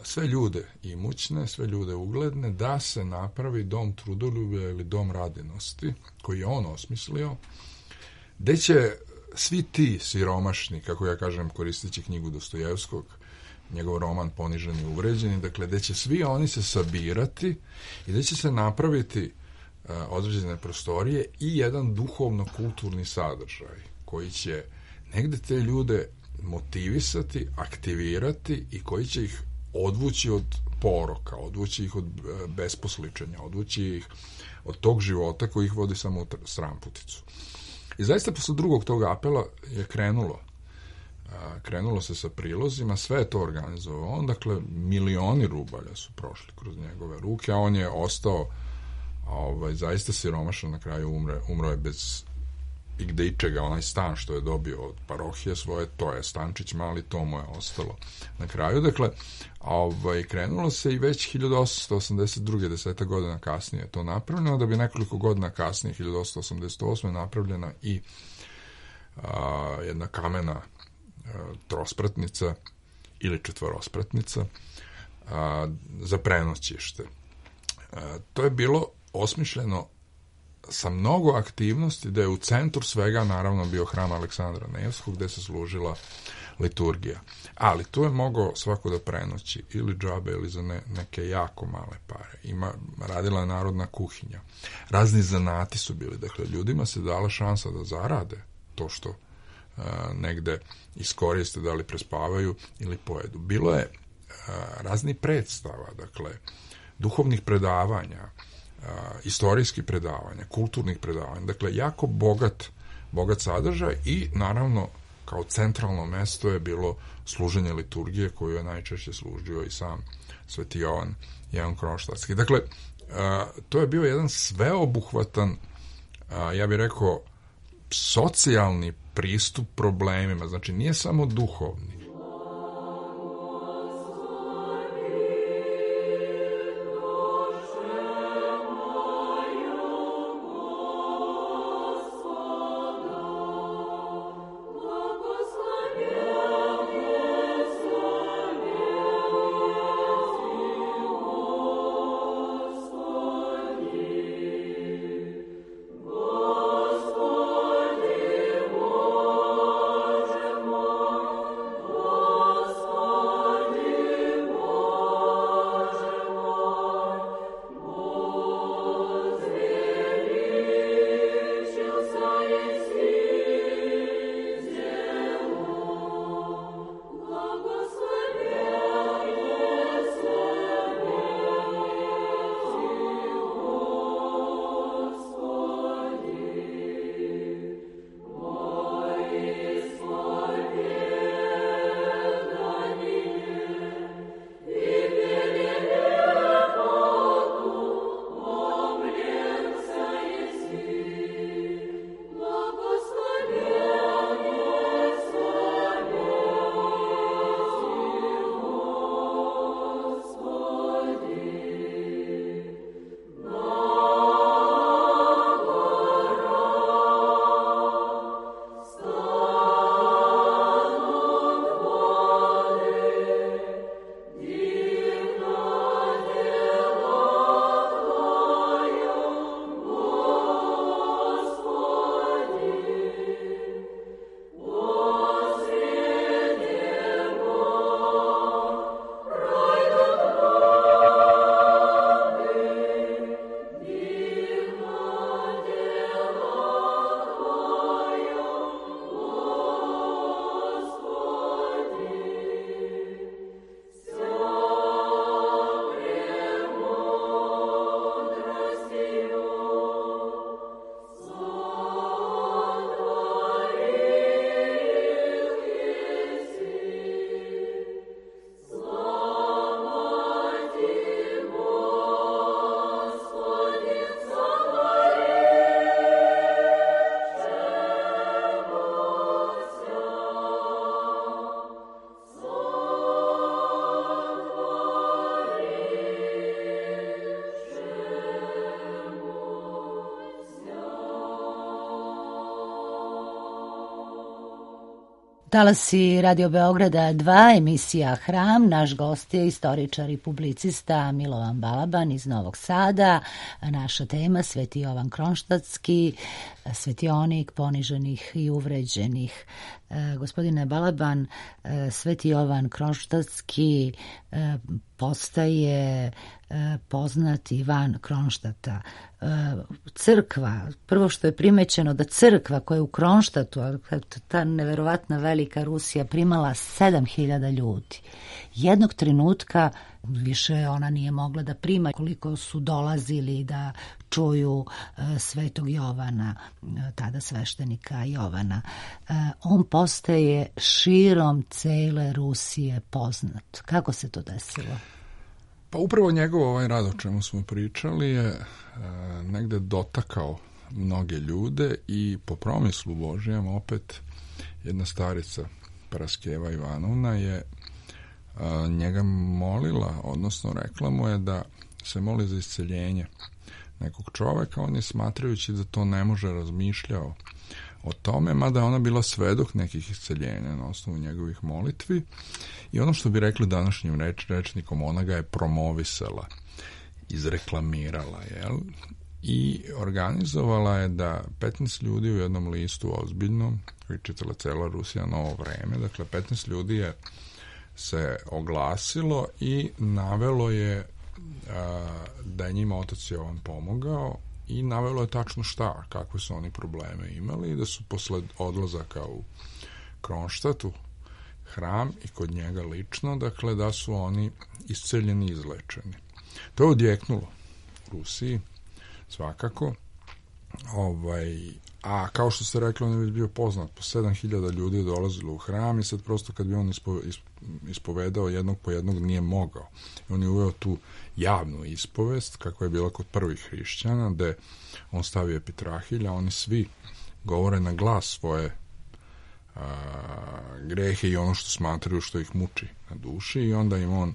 sve ljude imućne, sve ljude ugledne da se napravi dom trudoljublja ili dom radinosti, koji je on osmislio, gde će svi ti siromašni, kako ja kažem koristeći knjigu Dostojevskog, njegov roman Poniženi i uvređeni, dakle, gde će svi oni se sabirati i gde će se napraviti određene prostorije i jedan duhovno-kulturni sadržaj koji će negde te ljude motivisati, aktivirati i koji će ih odvući od poroka, odvući ih od besposličenja, odvući ih od tog života koji ih vodi samo u stramputicu. I zaista posle drugog tog apela je krenulo se sa prilozima, sve je to organizovao on, dakle, milioni rubalja su prošli kroz njegove ruke, a on je ostao zaista siromašan, na kraju umro je bez igde ičega, onaj stan što je dobio od parohije svoje, to je stančić mali, to mu je ostalo na kraju. Dakle, krenulo se i već 1882. 10 godina kasnije to napravljeno, da bi nekoliko godina kasnije, 1888. napravljena i jedna kamena trospratnica ili četvorospratnica za prenoćište. To je bilo osmišljeno sa mnogo aktivnosti, da je u centru svega naravno bio hram Aleksandra Nevskog, gde se služila liturgija. Ali tu je mogao svako da prenoći ili džabe ili za neke jako male pare. Radila je narodna kuhinja. Razni zanati su bili. Dakle, ljudima se dala šansa da zarade to što negde iskoriste, da li prespavaju ili pojedu. Bilo je razni predstava, dakle, duhovnih predavanja, istorijskih predavanja, kulturnih predavanja. Dakle, jako bogat sadržaj i, naravno, kao centralno mesto je bilo služenje liturgije koju je najčešće služio i sam Sveti Jovan Kronštatski. Dakle, to je bio jedan sveobuhvatan, ja bih rekao, socijalni pristup problemima. Znači, nije samo duhovni. Talasi Radio Beograda 2, emisija Hram. Naš gost je istoričar i publicista Milovan Balaban iz Novog Sada. Naša tema Sveti Jovan Kronštatski, svetionik poniženih i uvređenih. Gospodine Balaban, Sveti Jovan Kronštatski postaje poznati van Kronštata. Crkva, prvo što je primećeno da crkva koja je u Kronštatu, ta neverovatna velika Rusija, primala 7.000 ljudi. Jednog trenutka više ona nije mogla da prima, koliko su dolazili da čuju Svetog Jovana, tada sveštenika Jovana. On postaje širom cele Rusije poznat. Kako se to desilo? Pa upravo njegov ovaj rad o čemu smo pričali je negde dotakao mnoge ljude i po promislu Božijem opet jedna starica Paraskeva Ivanovna je njega molila, odnosno rekla mu je da se moli za isceljenje nekog čoveka. On je smatrajući da to ne može razmišljao o tome, mada je ona bila svedok nekih isceljenja na osnovu njegovih molitvi i ono što bi rekli današnjim rečnikom, ona ga je promovisala, izreklamirala, jel? I organizovala je da 15 ljudi u jednom listu ozbiljnom, koji čitala cela Rusija Novo vreme, dakle 15 ljudi je se oglasilo i navelo je da je njima otac Jovan pomogao i navelo je tačno šta, kakve su oni probleme imali i da su posled odlazaka u Kronštatu, hram i kod njega lično, dakle da su oni isceljeni i izlečeni. To je odjeknulo u Rusiji, svakako. A kao što ste rekli, on je već bio poznat, po 7.000 ljudi je dolazilo u hram i sad prosto kad bi on ispovedao jednog po jednog nije mogao. I on je uveo tu javnu ispovest, kakva je bila kod prvih hrišćana, gde on stavio epitrahilja, oni svi govore na glas svoje grehe i ono što smatraju što ih muči na duši i onda im on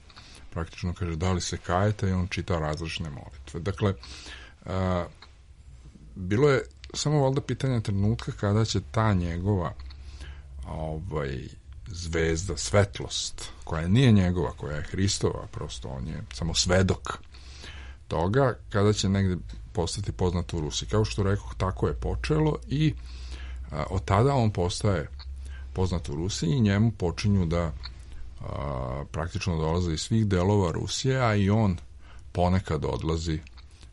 praktično kaže da li se kajete i on čita različne molitve. Dakle, bilo je samo valjda pitanje trenutka kada će ta njegova zvezda, svetlost, koja nije njegova, koja je Hristova, prosto on je samo svedok toga, kada će negde postati poznat u Rusiji. Kao što rekoh, tako je počelo i od tada on postaje poznat u Rusiji i njemu počinju da praktično dolaze iz svih delova Rusije, a i on ponekad odlazi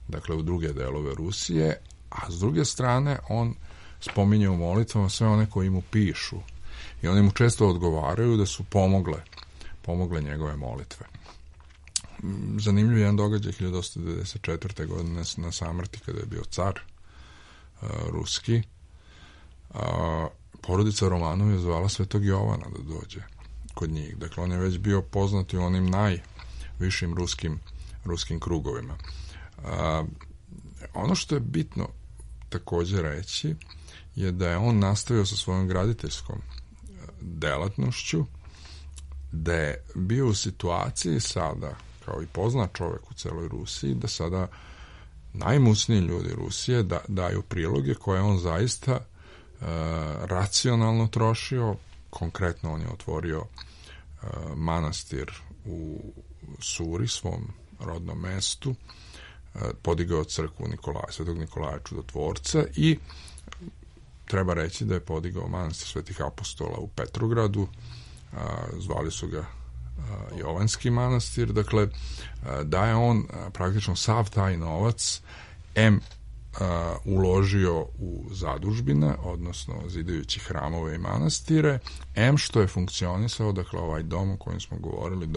dakle u druge delove Rusije, a s druge strane on spominje u molitvama sve one koji mu pišu i oni mu često odgovaraju da su pomogle njegove molitve. Zanimljiv je jedan događaj 1894. godine na samrti kada je bio car ruski. Porodica Romanov je zvala Svetog Jovana da dođe kod njih. Dakle, on je već bio poznat u onim najvišim ruskim krugovima. Ono što je bitno također reći je da je on nastavio sa svojom graditeljskom delatnošću, da je bio u situaciji sada, kao i poznat čovjek u celoj Rusiji, da sada najmusniji ljudi Rusije daju priloge koje on zaista racionalno trošio. Konkretno on je otvorio manastir u Suri, svom rodnom mestu, podigao crkvu Svetog Nikolaja Čudotvorca i treba reći da je podigao manastir Svetih apostola u Petrogradu, zvali su ga Jovanski manastir, dakle da je on praktično sav taj novac uložio u zadužbine, odnosno zidajući hramove i manastire, što je funkcionisao, dakle ovaj dom o kojem smo govorili,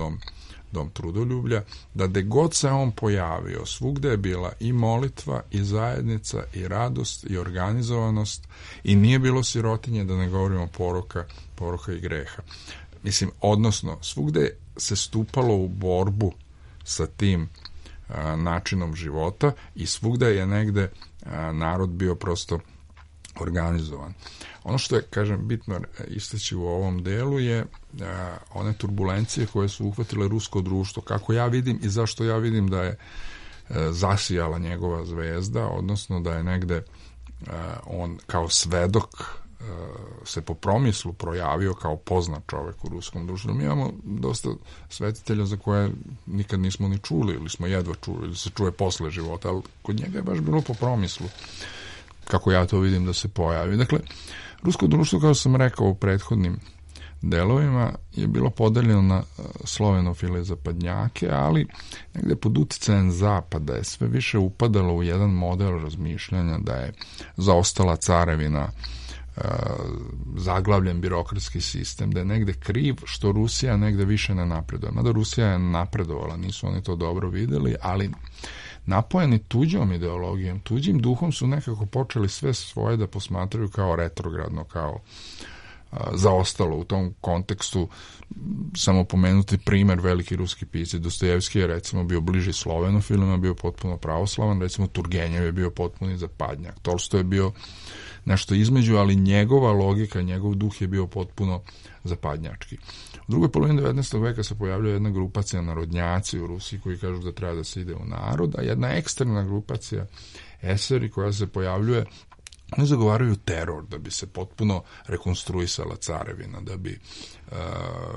dom trudoljublja, da gde god se on pojavio, svugde je bila i molitva, i zajednica, i radost, i organizovanost, i nije bilo sirotinje, da ne govorimo poroka i greha. Mislim, odnosno, svugde se stupalo u borbu sa tim načinom života i svugde je negde narod bio prosto organizovan. Ono što je, kažem, bitno istaći u ovom delu je one turbulencije koje su uhvatile rusko društvo, kako ja vidim i zašto ja vidim da je zasijala njegova zvezda, odnosno da je negde on kao svedok se po promislu projavio kao poznat čovek u ruskom društvu. Mi imamo dosta svetitelja za koje nikad nismo ni čuli ili smo jedva čuli ili se čuje posle života, ali kod njega je baš bilo po promislu, kako ja to vidim, da se pojavi. Dakle, rusko društvo, kao sam rekao u prethodnim delovima, je bilo podeljeno na slovenofile i zapadnjake, ali negde pod uticajem zapada je sve više upadalo u jedan model razmišljanja da je zaostala carevina, zaglavljen birokratski sistem, da je negde kriv što Rusija negde više ne napreduje. Mada Rusija je napredovala, nisu oni to dobro videli, ali napojeni tuđom ideologijom, tuđim duhom su nekako počeli sve svoje da posmatraju kao retrogradno, kao zaostalo. U tom kontekstu samo pomenuti primer, veliki ruski pisci Dostojevski je recimo bio bliži slovenofilima, bio potpuno pravoslavan, recimo Turgenjev je bio potpuni zapadnjak, Tolstoj je bio nešto između, ali njegova logika, njegov duh je bio potpuno zapadnjački. U drugoj polovini 19. veka se pojavljuje jedna grupacija narodnjaci u Rusiji koji kažu da treba da se ide u narod, a jedna eksterna grupacija eseri koja se pojavljuje, oni zagovaraju teror da bi se potpuno rekonstruisala carevina, da bi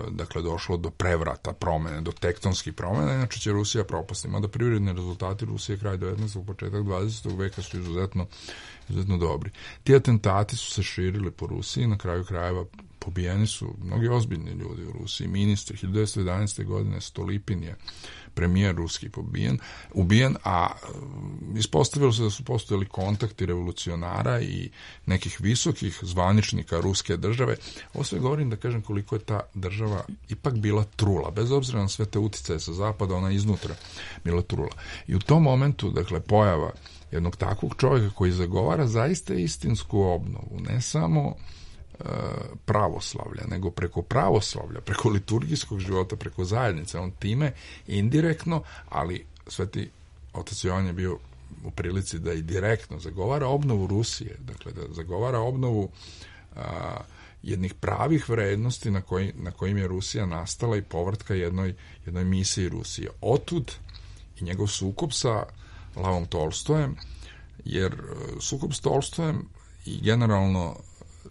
dakle došlo do prevrata, promene, do tektonskih promena, inače će Rusija propasti. Mada privredni rezultati Rusije kraj 19. početak 20. veka su izuzetno dobri. Ti atentati su se širili po Rusiji, na kraju krajeva pobijeni su mnogi ozbiljni ljudi u Rusiji, ministri. 1911. godine Stolipin je premijer ruski ubijen, a ispostavilo se da su postojali kontakti revolucionara i nekih visokih zvaničnika ruske države. Ovo sve govorim da kažem koliko je ta država ipak bila trula, bez obzira na sve te uticaje sa zapada, ona iznutra bila trula. I u tom momentu, dakle, pojava jednog takvog čovjeka koji zagovara zaista istinsku obnovu, ne samo pravoslavlja, nego preko pravoslavlja, preko liturgijskog života, preko zajednice. On time indirektno, ali Sveti Otac Jovan je bio u prilici da i direktno zagovara obnovu Rusije, dakle da zagovara obnovu jednih pravih vrednosti na kojim je Rusija nastala i povratka jednoj misiji Rusije. Otud i njegov sukob sa Lavom Tolstojem, jer sukob s Tolstojem i generalno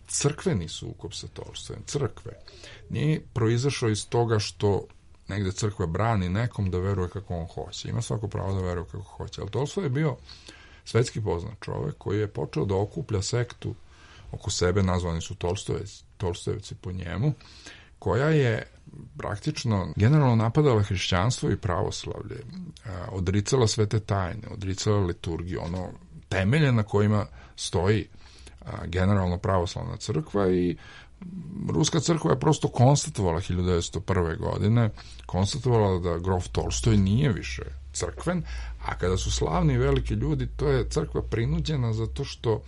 crkveni sukob sa Tolstojem, crkve, nije proizašao iz toga što negde crkva brani nekom da veruje kako on hoće. Ima svako pravo da veruje kako hoće. Ali Tolstoj je bio svetski poznat čovek koji je počeo da okuplja sektu oko sebe, nazvani su Tolstojevci po njemu, koja je praktično generalno napadala hrišćanstvo i pravoslavlje, odricala svete tajne, odricala liturgiju, ono temelje na kojima stoji generalno pravoslavna crkva, i ruska crkva je prosto konstatovala 1901. godine, konstatovala da grof Tolstoj nije više crkven, a kada su slavni i veliki ljudi, to je crkva prinuđena zato što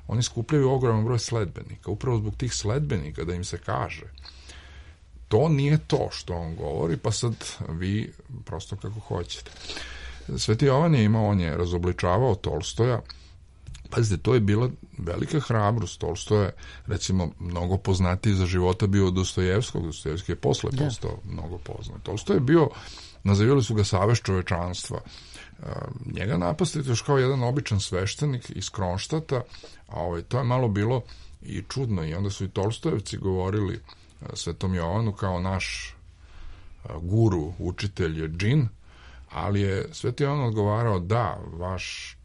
oni skupljaju ogroman broj sledbenika, upravo zbog tih sledbenika da im se kaže to nije to što on govori, pa sad vi prosto kako hoćete. Sveti Jovan je imao, on je razobličavao Tolstoja. Pazite, to je bila velika hrabrost. Tolstoj je, recimo, mnogo poznatiji za života bio od Dostojevskog. Dostojevski je posle postao mnogo poznat. Tolstoj je bio, nazivali su ga savez čovečanstva. Njega napastite još kao jedan običan sveštenik iz Kronštata, a to je malo bilo i čudno, i onda su i Tolstojevci govorili Svetom Jovanu kao naš guru, učitelj je džin, ali je Sveti Jovan odgovarao da, vaš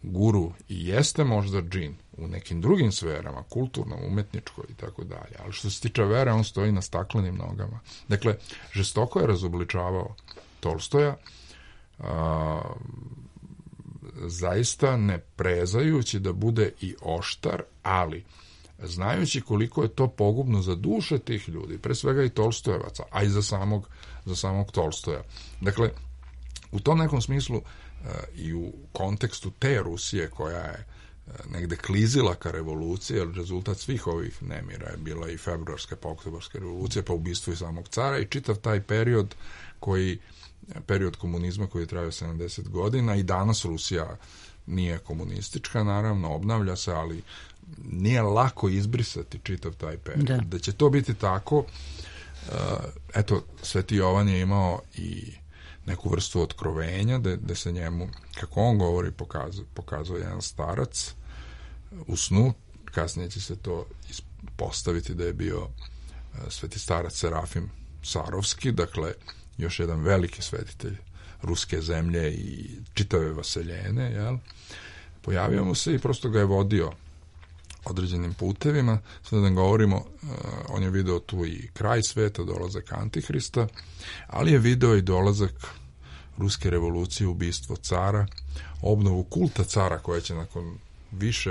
guru i jeste možda džin u nekim drugim sferama, kulturnom, umetničkoj i tako dalje, ali što se tiče vere, on stoji na staklenim nogama. Dakle, žestoko je razobličavao Tolstoja, zaista ne prezajući da bude i oštar, ali znajući koliko je to pogubno za duše tih ljudi, pre svega i Tolstojevaca, a i za samog Tolstoja. Dakle, u tom nekom smislu i u kontekstu te Rusije koja je negde klizila ka revoluciji, jer rezultat svih ovih nemira je bila i februarska pa oktobarska revolucija, pa ubistvo i samog cara, i čitav taj period komunizma koji je trajao 70 godina, i danas Rusija nije komunistička, naravno, obnavlja se, ali nije lako izbrisati čitav taj period. Da će to biti tako, eto, Sveti Jovan je imao i neku vrstu otkrovenja, da se njemu, kako on govori, pokazuje jedan starac u snu, kasnije će se to postaviti da je bio sveti starac Serafim Sarovski, dakle još jedan veliki svetitelj ruske zemlje i čitave vaseljene, jel? Pojavio mu se i prosto ga je vodio određenim putevima. Sada da govorimo, on je video tu i kraj sveta, dolazak Antihrista, ali je video i dolazak ruske revolucije, ubistvo cara, obnovu kulta cara koja će nakon više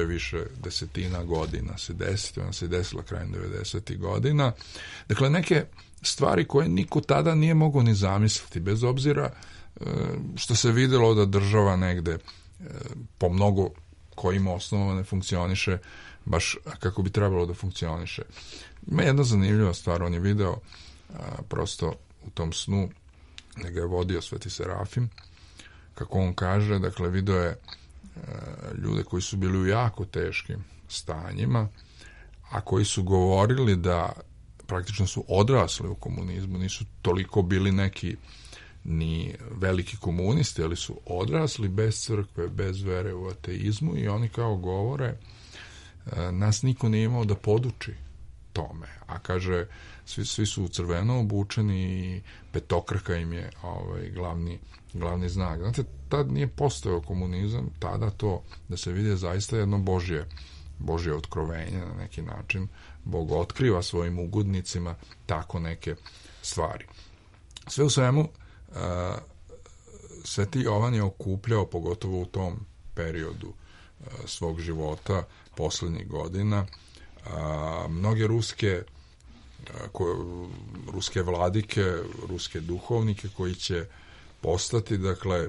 desetina godina se desiti. Ona se desila krajem 90. godina. Dakle, neke stvari koje niko tada nije mogao ni zamisliti, bez obzira što se videlo da država negde po mnogo kojim osnovama ne funkcioniše baš kako bi trebalo da funkcioniše. Ima jedna zanimljiva stvar, on je video prosto u tom snu da ga je vodio sveti Serafim, kako on kaže, dakle video je ljude koji su bili u jako teškim stanjima, a koji su govorili da praktično su odrasli u komunizmu, nisu toliko bili neki ni veliki komunisti, ali su odrasli bez crkve, bez vere u ateizmu i oni kao govore nas niko nije imao da poduči tome, a kaže svi su u crveno obučeni i petokraka im je glavni znak. Znate, tad nije postojao komunizam, tada to da se vidi zaista jedno Božje otkrovenje na neki način. Bog otkriva svojim ugodnicima tako neke stvari. Sve u svemu, Sveti Jovan je okupljao, pogotovo u tom periodu svog života, poslednjih godina, mnoge ruske vladike, ruske duhovnike koji će postati, dakle,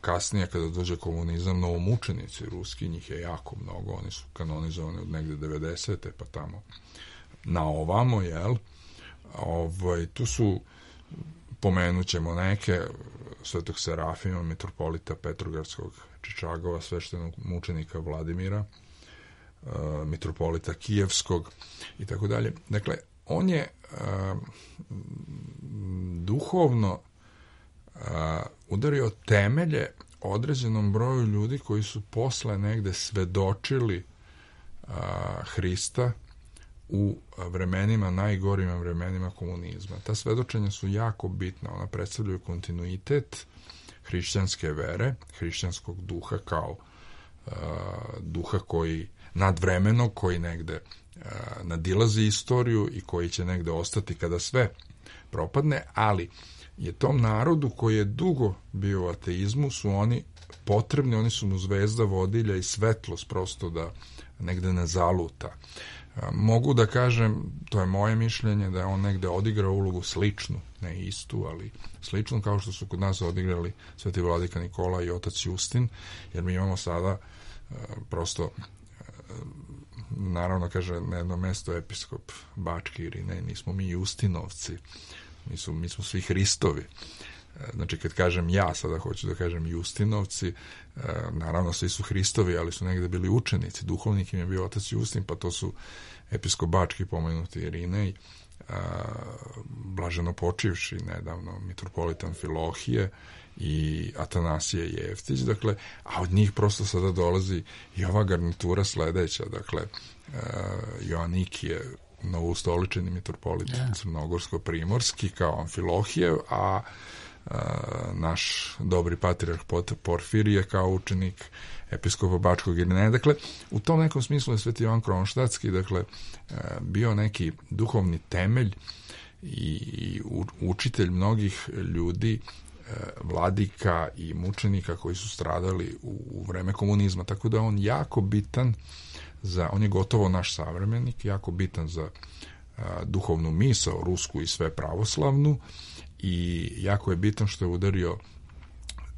kasnije kada dođe komunizam, novomučenici ruski, njih je jako mnogo, oni su kanonizovani od negde 90. pa tamo na ovamo, jel? Tu su, pomenut ćemo neke, svetog Serafima, mitropolita Petrogradskog Čičagova, sveštenog mučenika Vladimira, mitropolita Kijevskog i tako dalje. Dakle, on je duhovno udario temelje određenom broju ljudi koji su posle negde svedočili Hrista u vremenima, najgorim vremenima komunizma. Ta svedočenja su jako bitna, ona predstavljaju kontinuitet hrišćanske vere, hrišćanskog duha kao duha koji nadvremenog, koji negde nadilazi istoriju i koji će negde ostati kada sve propadne, ali je tom narodu koji je dugo bio u ateizmu, su oni potrebni, oni su mu zvezda vodilja i svetlost prosto da negde ne zaluta. Mogu da kažem, to je moje mišljenje, da je on negde odigrao ulogu sličnu, ne istu, ali sličnu kao što su kod nas odigrali sveti vladika Nikola i otac Justin, jer mi imamo sada prosto, naravno kaže na jedno mesto episkop Bački Irinej, nismo mi Justinovci, mi smo svi Hristovi. Znači, kad kažem ja, sada hoću da kažem Justinovci, naravno svi su Hristovi, ali su negde bili učenici. Duhovnik im je bio otac Justin, pa to su episkop Bački pomenuti Irinej, blaženo počivši nedavno mitropolitan Filohije i Atanasije Jeftić, dakle, a od njih prosto sada dolazi i ova garnitura sledeća, dakle, Joanikije, novoustoličeni mitropolit crnogorsko-primorski kao Amfilohijev, a naš dobri patrijarh Porfirije kao učenik episkopa Bačkog Irineja. Dakle, u tom nekom smislu je sveti Jovan Kronštatski, dakle, bio neki duhovni temelj i učitelj mnogih ljudi, vladika i mučenika koji su stradali u vreme komunizma. Tako da on jako bitan on je gotovo naš savremenik, jako bitan za duhovnu misao, rusku i sve pravoslavnu, i jako je bitan što je udario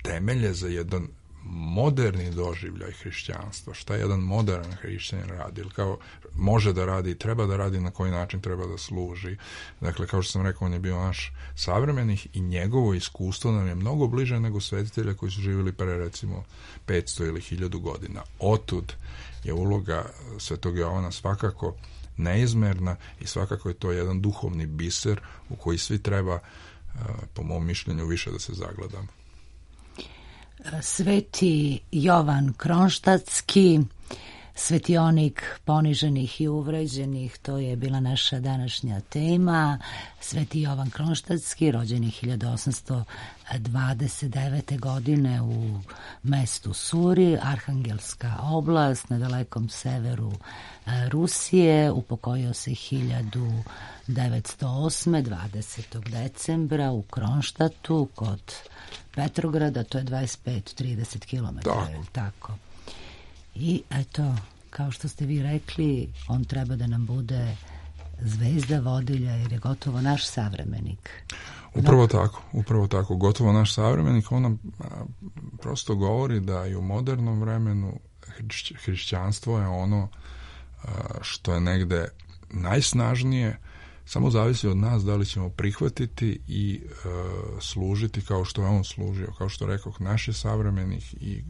temelje za jedan moderni doživljaj hrišćanstva. Šta jedan modern hrišćanin radi, ili kao može da radi, treba da radi, na koji način treba da služi. Dakle, kao što sam rekao, on je bio naš savremenik i njegovo iskustvo nam je mnogo bliže nego svetitelja koji su živjeli pre recimo 500 ili 1000 godina. Otud je uloga svetog Jovana svakako neizmerna i svakako je to jedan duhovni biser u koji svi treba, po mom mišljenju, više da se zagledamo. Sveti Jovan Kronštatski Svetionik poniženih i uvređenih, to je bila naša današnja tema. Sveti Jovan Kronštatski, rođen je 1829. godine u mestu Suri, Arhangelska oblast, na dalekom severu Rusije. Upokojio se 1908. 20. decembra u Kronštatu kod Petrograda, to je 25-30 km. Tako. I eto, kao što ste vi rekli, on treba da nam bude zvezda vodilja jer je gotovo naš savremenik. Upravo tako, gotovo naš savremenik. On nam prosto govori da i u modernom vremenu hrišćanstvo je ono što je negde najsnažnije, samo zavisi od nas da li ćemo prihvatiti i služiti kao što je on služio, kao što rekoh, naš je savremenik i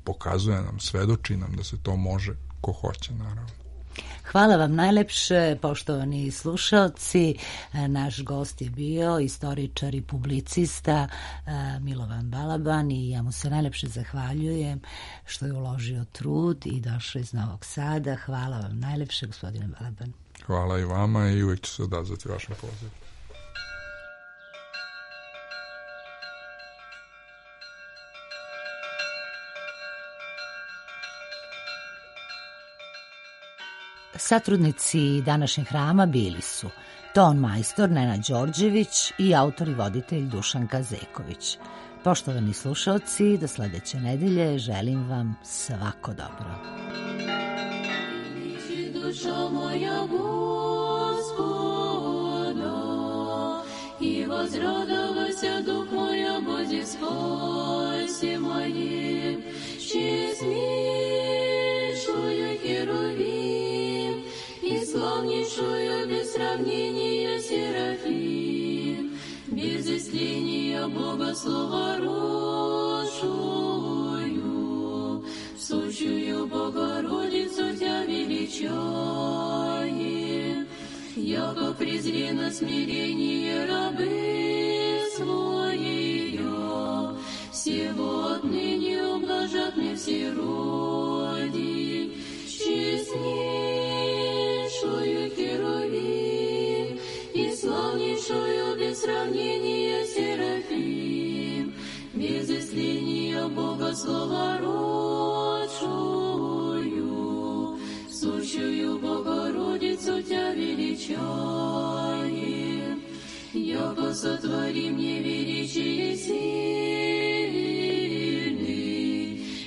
pokazuje nam, svedoči nam da se to može ko hoće, naravno. Hvala vam najlepše, poštovani slušaoci. Naš gost je bio istoričar i publicista Milovan Balaban i ja mu se najlepše zahvaljujem što je uložio trud i došao iz Novog Sada. Hvala vam najlepše, gospodine Balaban. Hvala i vama i uvijek ću se odazvati vašem pozivu. Satrudnici današnjeg hrama bili su ton majstor Nenad Đorđević i autor i voditelj Dušan Kazeković. Poštovani slušalci, do sledeće nedelje želim vam svako dobro. Duša moja Gospoda, i возрадовался дух моя Бозе спаси моим, честнейшую Херувим, и славнейшую без сравнения Серафим, без истления Бога слова рожую, сущую Богородицу Тя величаем, яко презри на смирение рабы своей, всего отныне ублажат мне все роди, честнейшую Херувим и славнейшую без сравнения Серафим, без истления Бога слова рожую, сущую Богородицу Тя величаем, яко сотвори мне величие сильный,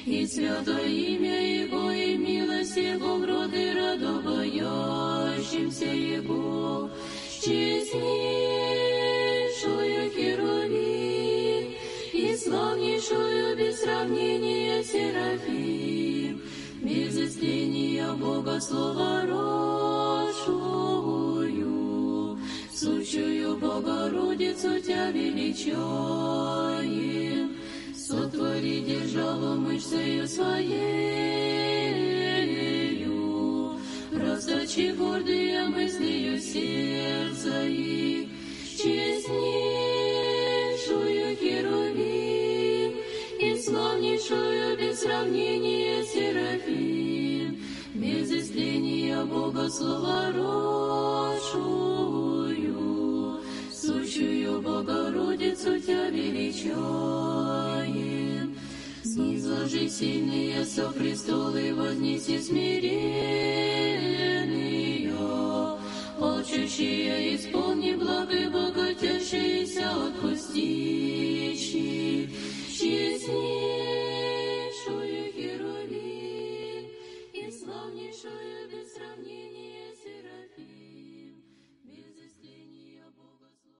и святое имя Его, и милость Его в роды радобоящимся Его, честнейшую Херувим и славнейшую без сравнения Серафим, без истления Бога слова рожую, сущую Богородицу Тя величаем, сотвори державу мышцею своею, расточи гордые мыслью сердца их, честнейшую Херувим и славнейшую без сравнения Серафим, без истления Бога слова рожую, сущую Богородицу Тя величаем. Снизложи сильные со престолы, вознеси смиренные, алчущие исполни благо, богатящиеся отпустищи, честнейшую Херувим и славнейшую